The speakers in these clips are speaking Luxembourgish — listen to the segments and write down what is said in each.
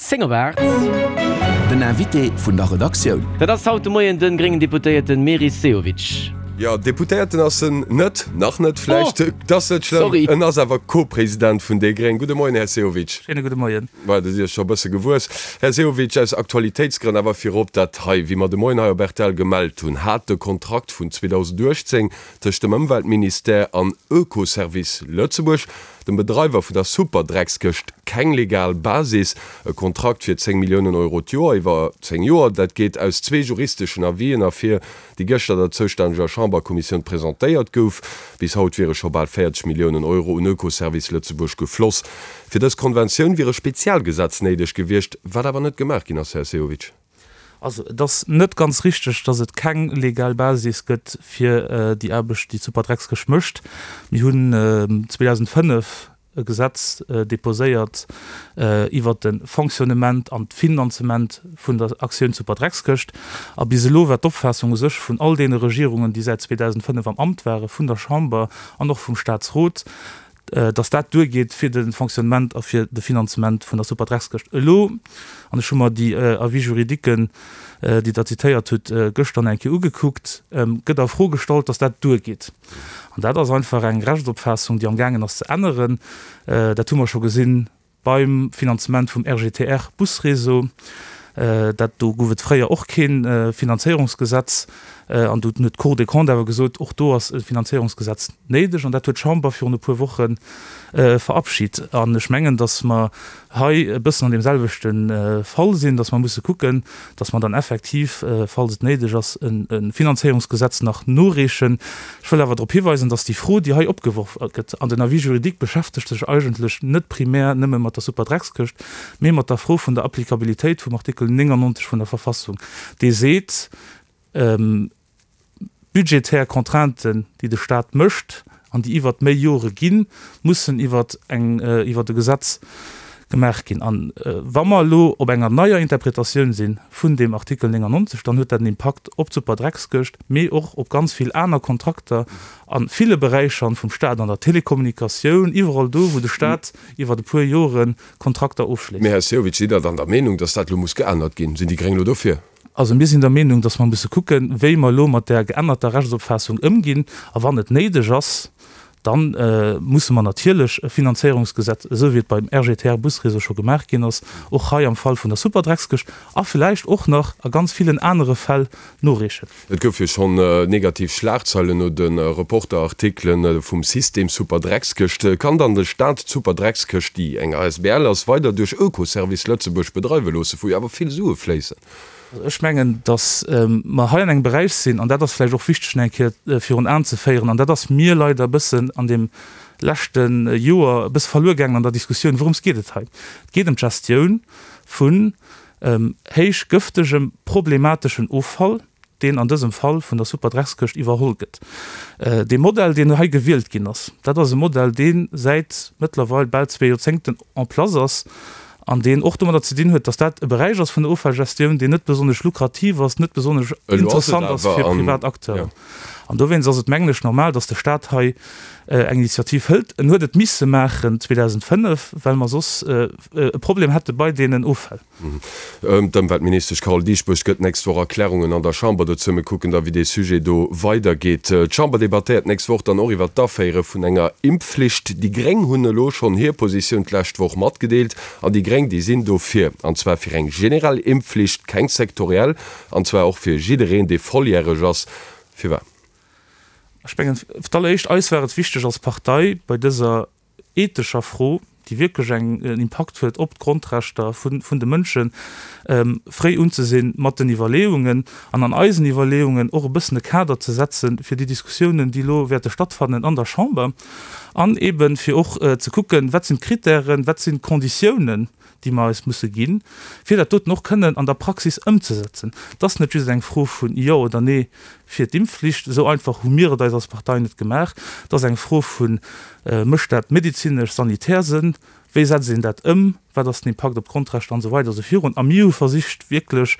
10 op 8. Den Invité vun der Redaktioun. Dat ass haut de Moien de gréngen Deputéierten Meris Sehovic. Jo, Deputéierten ass en net, nach net vläicht, et ass net schlëmm, Sorry. en ass awer Co-President vun déi Gréng. Gudde Moien, Här Sehovic. Schéine gudde Moien. Voilà, do sidd Der scho e bësse gewuess. Här Sehovic, aus Aktualitéitsgrënn awer virop dat hei, Wéi mer de Moien hei op rtl gemellt hunn, hat de Kontrakt vun 2018 tëscht dem Ëmweltministère an Oekoservice Lëtzebuerg, dem Bedreiwer vun der Superdreckskëscht, keng legal Basis. E Kontrakt fir 10 Milliounen Euro d'Joer iwwer 10 Joer, dat geet aus zwee juristeschen Avisen ervir, déi gëschter der zoustänneger Chamberkommissioun presentéiert gouf. Bis haut wiere scho bal 40 Milliounen Euro un Oekoservice Lëtzebuerg gefloss. Fir dës Konventioun wier e Spezialgesetz néideg gewiescht, wat awer net gemaach ginn ass, Här Sehovic. Also et ass net ganz richteg, datt et keng legal Basis gëtt fir déi Aarbecht, déi d'Superdreckskëscht mécht. Mir hunn 2005 e Gesetz deposéiert iwwert de Fonctionnement an d'Finanzement vun der Aktioun Superdreckskëscht. A bis elo war d'Opfaassung u sech vun all deene Regierungen, déi säit 2005 am Amt waren, vun der Chamber an och vum Statsrot, dass dat duergeet fir de Fonctionnement a fir de Finanzement vun der Superdreckskëscht. Elo, an ech hu mer déi Avis juridiquen, déi Der zitéiert hutt, gëschter nach eng Kéier ugekuckt, gëtt a Fro gestallt, dass dat duergeet. An dat ass einfach eng Rechtsopfaassung, déi amgaangen ass ze änneren. Dat hu mer scho gesinn Beim Finanzement vum RGTR-Busréseau, dat do gouf et fréier och kee Finanzéierungsgesetz, an do huet d'Cour des Comptes awer gesot, och do ass e Finanzéierungsgesetz néideg, an dat huet d'Chamber virun e puer Woche verabschit. An ech mengen, datt mer hei e bëssen an deem selwechte Fall sinn, datt mer musse kucken, datt mer dann effektiv, falls et néideg ass, e Finanzéierungsgesetz nach noreechen. Ech wëll awer drop hiweisen, dass déi Fro, déi hei opgeworf gëtt, an den Avis juridique beschäftegt sech eigentlech net primär nëmme mat der Superdreckskëscht, mee mat der Fro vun der Applikabilitéit vum Artikel 99 vun der Verfassung, dee seet, budgetär Contrainten, déi de Stat mécht an déi iwwert méi Jore ginn, mussen iwwert eng, iwwert e Gesetz gemaach ginn. A wa mer elo op enger neier Interpretatioun si vun deem Artikel 99, dann huet dat en Impakt op d'Superdreckskëscht, mee och op ganz vill aner Kontrakter a ville Beräicher vum Stat, an der Telekommunikatioun, iwwerall do, wou de Stat iwwer e puer Jore Kontrakter ofschléisst. Mee, Här Sehovic, sidd Der dann der Meenung, datt dat elo muss geännert ginn? Sinn déi Gréng elo dofir? Also mir sinn der Meenung, datt mer musse kucken, wéi mer elo mat där geännerter Rechtsopfaassung ëmginn. A wann et néideg ass, Da musse mer natierlech e Finanzéierungsgesetz, esou wéi et beim RGTR-Busréseau scho gemaach ginn ass, och hei am Fall vun der Superdreckskëscht a vläicht och nach a ganz villen anere Fäll noreechen. Et gouf jo schonn negativ Schlagzeilen no de Reporter-Artikele vum System Superdreckskëscht. Kann dann de Staat d'Superdreckskëscht, déi eng asbl ass, weider duerch Oekoservice Lëtzebuerg bedreiwe loosse, wou jo awer vill Sue fléissen? Ech mengen, datt mer hei an engem Beräich sinn, an dat ass vläicht och wichteg nach eng Kéier virun Aen ze féieren, an dat ass mir leider e bëssen an deem leschte Joer e bësse verluer gaangen an der Diskussioun, Wourëms geet et hei? Et geet ëm d'Gestioun vun héich gëftegem, problemateschen Offall, deen an dësem Fall vun der Superdreckskëscht iwwerholl gëtt. Dee Modell, deen hei gewielt ginn ass, dat ass e Modell, dee säit mëttlerweil bal zwee Joerzéngten en place ass an deen och domadder ze dinn huet, dass dat e Beräich ass vun der Offallgestioun, deen net besonnesch lukrativ ass, net besonnesch interessant ass fir privat Acteuren. An dowéinst ass et, mengen ech, normal, dass de Stat hei eng Initiativ hëlt. En huet et misse maachen 2005, well mer soss e Problem hätte bei deenen Offäll. D'Ëmweltministesch Carole Dieschbourg gëtt d'nächst Woch Erklärungen an der Chamber dozou. Mir kucken da wéi dee Sujet do weidergeet. D'Chamber debattéiert d'nächst Woch dann och iwwer d'Aféiere vun enger Impfflicht. Déi Gréng hunn elo schonn hir Positioun d'lescht Woch matgedeelt. An déi Gréng, déi sinn dofir. An zwar fir eng generell Impfflicht, keng sektoriell. An zwar och fir jiddereen, dee volljäreg ass. Firwat? Ech mengen, fir d'alleréischt, eis war et wichteg als Partei bei dëser ethescher Fro, déi wierklech eng en Impakt huet op d'Grondrechter vun vun de Mënschen, fréi unzesinn mat den Iwwerleeungen an an eisen Iwwerleeungen och e bëssen e Kader ze setze fir déi Diskussiounen, déi elo wäerte stattfannen an der Chamber, an eebe fir och ze kucken, wat sinn d'Kritären, wat sinn d'Konditiounen, déi mer eis musse ginn, fir dat doten och kënnen an der Praxis ëmzesetzen. Et ass net just eng Fro vun Jo oder Nee fir d'Impfflicht, esou einfach hu mir et eis als Partei net gemaach. Et ass eng Fro vu Mécht dat medezinesch, sanitär Sënn? Wéi setzt een dat ëm? Wat ass den Impakt op d'Grondrechter an esou weider esou virun. A mir hu versicht, wierklech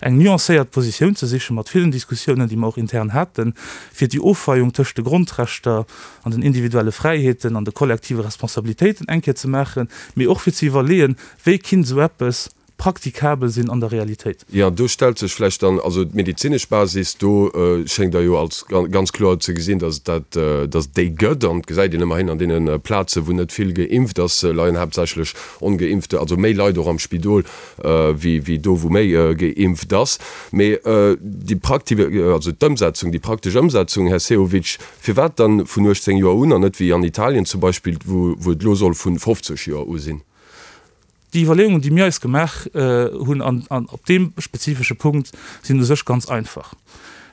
eng nuancéiert Positioun ze sichen, mat villen Diskussiounen, déi mer och intern haten, fir déi Ofweiung tëscht de Grondrechter an den individuelle Fräiheeten an de kollektive Responsabilitéiten eng Kéier ze maachen, mee och fir ze iwwerleeën, wéi kinnt esou eppes. praktikabel sinn an der Realitéit. Jo, do stellt sech vläicht dann, also d'medezinesch Basis, do schéngt Der jo als ganz kloer ze gesinn, datt et dat, datt et déi gëtt. An et gesäit een ëmmerhin an deene Plazen, wou net vill geimpft ass, leien haaptsächlech Ongeimpfte, also méi Leit och am Spidol, wéi wéi do, wou méi geimpft ass. Mee déi prakti, also d'Ëmsetzung, déi praktesch Ëmsetzung, Här Sehovic, firwat dann vun 18 Joer un an net wéi an Italien zum Beispill, wou wou et elo soll vun 50 Joer u sinn? Déi Iwwerleeungen, déi mir eis gemaach hunn an an op deem spezifesche Punkt, sinn u sech ganz einfach.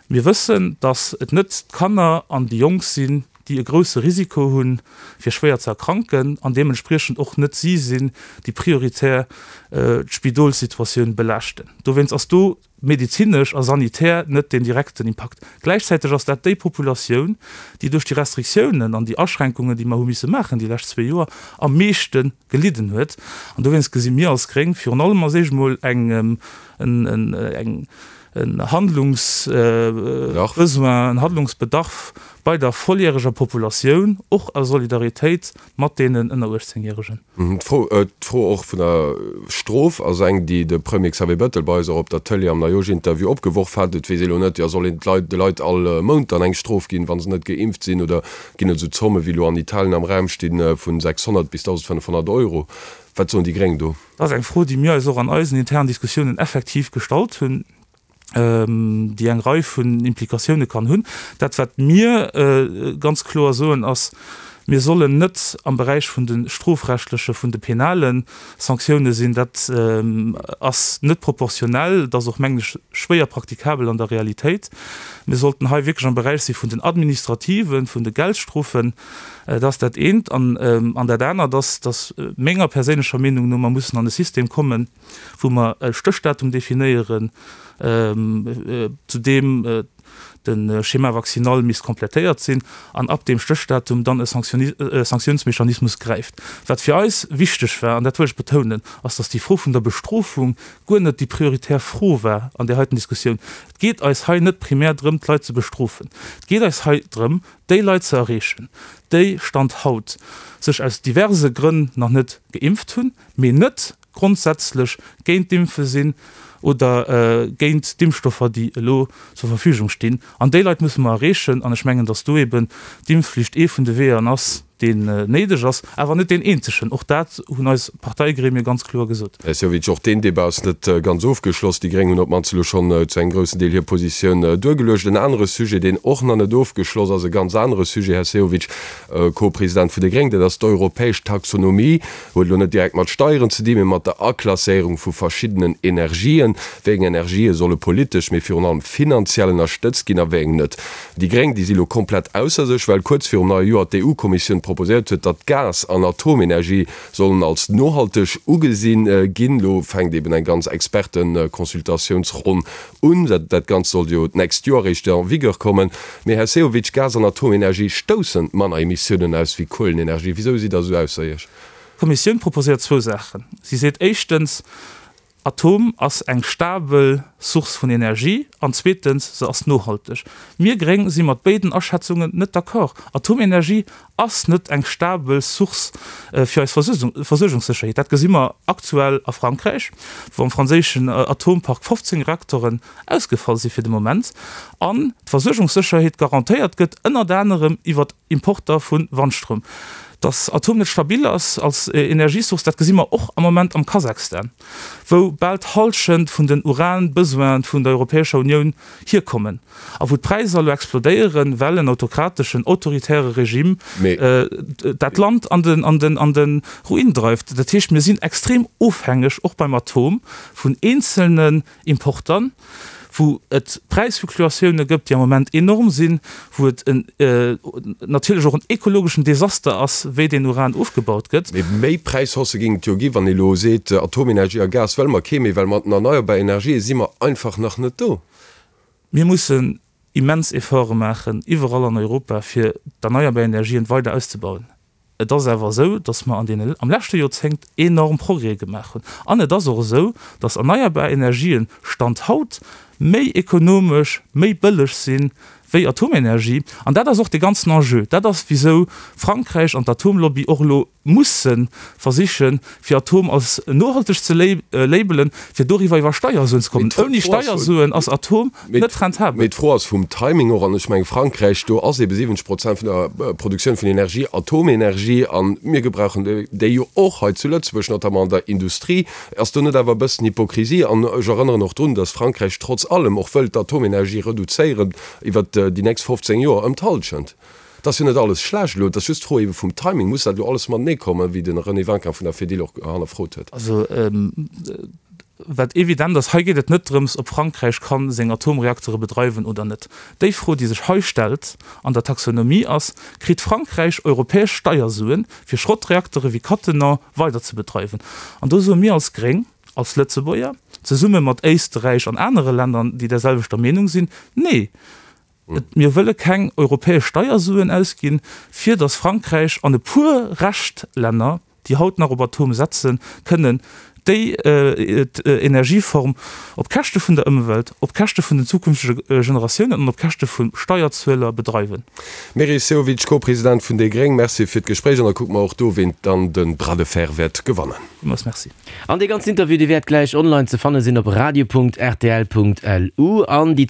Mir wëssen, datt et net d'Kanner an déi Jonk sinn, déi e grousse Risiko hunn, fir schwéier ze erkranken, an deementspriechend och net si sinn, déi prioritär d'Spidolssituatioun belaaschten. Dowéinst ass do medezinesch a sanitär net deen direkten Impakt. Gläichzäiteg ass dat déi Populatioun, déi duerch déi Restriktiounen an déi Aschränkungen, déi mer hu misse maachen déi lescht zwee Joer, am meeschte gelidden huet. An dowéinst gesi mir als Gréng virun allem als éischt emol eng, eng, en Handlungsbesoin, en Handlungsbedarf bei der volljäreger Populatioun, och a Solidaritéit mat deenen ënner 18 Järegen. D'Fro, d'Fro och vun der Strof ass eng, déi de Premier Xavier Bettel bei eis och op der Tëlee am Neijoerschinterview opgeworf hat. Et weess ee lo net, jo soll een d'Leit, de Leit all Mount dann eng Strof ginn, wa se net geimpft sinn, oder ginn et esou Zomme wéi elo an Italien am Raum stinn, vu 600 bis 1.500 Euro? Wat soen déi Gréng do? Dat ass eng Fro, déi mir eis och an eisen internen Diskussiounen effektiv gestallt hunn, déi eng Rei vun Implikatioune kann hunn. Dat, wat mir ganz kloer soen, ass, Mir sollen net am Beräich vun de strofrechtleche, vun de penale Sanktioune sinn. Dat ass net proportionell, dat ass och, mengen ech, schwéier praktikabel an der Realitéit. Mir sollten hei wierklech am Beräich si vun den administrativen, vun de Geldstrofen. Dat ass dat eent. An dat anert ass, datt menger perséinlecher Meenung no mer mussen an e System kommen, wou mer e Stéchdatum definéieren, zu deem de Schéma vaccinal misst komplettéiert sinn an ab deem Stéchdatum dann e Sanktiounsmechanismus gräift. Wat fir eis wichteg war, an dat wëll ech betounen, ass, datt déi Fro vun der Bestrofung guer net déi prioritär Fro war an där heiten Diskussioun. Et geet eis hei net primär drëm, d'Leit ze bestrofen. Et geet eis hei drëm, déi Leit ze erreechen, déi Stand haut sech aus diverse Grënn nach net geimpft hunn, mee net grondsätzlech géint d'Impfe sinn oder géint d'Impfstoffer, déi elo zur Verfügung stinn. An déi Leit musse mer erreechen. An ech mengen, datt do eben d'Impfflicht ee vun de Weeër ass, deen néideg ass, awer net deen eenzegen. Och dat hunn eis Parteigremie ganz kloer gesot. Här Sehovic, och deen Débat ass net ganz ofgeschloss. Déi Gréng hunn op d'mannst elo schonn zu engem groussen Deel hir Positioun duergeluecht. En anere Sujet, deen och nach net ofgeschloss ass, e ganz anere Sujet, Här Sehovic, Co-President vun de Gréng, dat ass d'europäesch Taxonomie. Huet elo net direkt mat Steieren ze dinn, mee mat der Aklasséierung vu verschiddenen Energien. Wéi eng Energië solle politesch, mee virun allem finanziell ënnerstëtzt ginn a wéi eng net? Déi Gréng, déi si lo komplett ausser sech, well kuerz virum neie Joer d'EU-Kommissioun proposéiert huet, datt Gas an Atomenergie sollen als nohalteg ugesi ginn. Lo fänkt eben eng ganz Experteconsultatiounsronn un. Dat Ganzt sollt jo d'nächst Joer eréischt en vigueur kommen. Mee Här Sehovic, Gas an Atomenergie stoussen manner Emissiounen aus wéi Kuelenenergie. Wisou sidd Der esou ausser Iech? D'Kommissioun proposéiert zwou Saachen. Si seet éischtens, Atom ass eng stabel Source vun Energie an zweetens, se ass nohalteg. Mir Gréng si mat béiden Aschätzungen net d'accord. Atomenergie ass net eng stabel Source fir eis Versuergungssécherheet. Dat gesi mer aktuell a Frankräich, wou am franséischen Atompark 15 Reaktoren ausgefall si fir de Moment an d'Versuergungssécherheet garantéiert gëtt ënnert anerem iwwert Importer vu Wandstroum. Datt Atom net stabil ass als Energiesource, dat gesi mer och am Moment am Kasachstan, wou bal d'Hallschent vun den Uran-Besoine vun der Europäescher Unioun hierkommen a wou d'Präisser elo explodéieren, well en autokrateschen, autoritäre Regime dat Land an de Ruin dreift. Dat heescht, mir sinn extrem ofhängeg, och beim Atom, vun eenzelnen Importern, wou et Präisfluktuatioune gëtt, déi am Moment enorm sinn, wou et en natierlech och en ekologeschen Desaster ass, wéi deen Uran ofgebaut gëtt. Mee méi Präishaussë géing et jo ginn, wann ee elo seet, Atomenergie a Gas wëlle mer kee méi, well mat den erneierbar Energië si mer einfach nach net do. Mir mussen immens Efforte maachen, iwwerall an Europa, fir d'erneierbar Energien weider auszebauen. Et ass awer esou, datt mer an deene, am leschte Joerzéngt enorm Progrèse gemaach hunn. An et ass och esou, datt erneierbar Energien, Stand haut, méi ekonomesch, méi bëlleg si wéi Atomenergie. An dat ass och de ganzen Enjeu. Dat ass, wisou Frankräich an d'Atomlobby och elo. musse versichen, fir Atom als nohalteg ze labelen, fir doriwwer iwwer Steiersuen ze kommen. Ouni Steiersuen ass Atom net rentabel. Mee d'Fro ass vum Timing och. An ech mengen, Frankräich, do ass ebe 70 Prozent vun der Produktioun vun Energie Atomenergie. A mir gebrauchen déi jo och hei zu Lëtzebuerg, notamment an der Industrie. Ass do net awer e bëssen Hypokrisie? An ech erënneren och drun, datt Frankräich trotz allem och wëllt d'Atomenergie reduzéieren iwwert déi nächst 15 Joer ëm d'Hallschent. Et ass jo net alles schlecht elo, et ass just d'Fro ebe vum Timing. Muss dat elo alles matenee kommen, wéi de René Winkin vun der Fedil och hannerfrot huet? Also, wat evident ass, hei geet et net drëms, ob Frankräich ka seng Atomreaktere bedreiwen oder net. Déi Fro, déi sech hei stellt an der Taxonomie ass, Kritt Frankräich europäesch Steiersuen, fir Schrottreaktere wéi Cattenom weider ze bedreiwen? An do soe mir als Gréng, als Lëtzebuerger, zesumme mat Éisterräich an anere Länder, déi där selwechter Meenung sinn, Nee! Mir wëlle keng europäesch Steiersuen ausginn, fir datt Frankräich an e puer Reschtlänner, déi haut nach op Atom setzen, kënnen déi Energieform op Käschte vun der Ëmwelt, op Käschte vun den zukünftege Generatiounen an op Käschte vu Steierzueler bedreiwen. Meris Sehovic, Co-President vun déi gréng, Merci fir d'Gespréich an da kucke mer och do, ween dann de Bras de fer wäert gewannen. Villmools Merci. An dee ganzen Interview, dee wäert gläich online ze fanne sinn op radio.rtl.lu. An déi.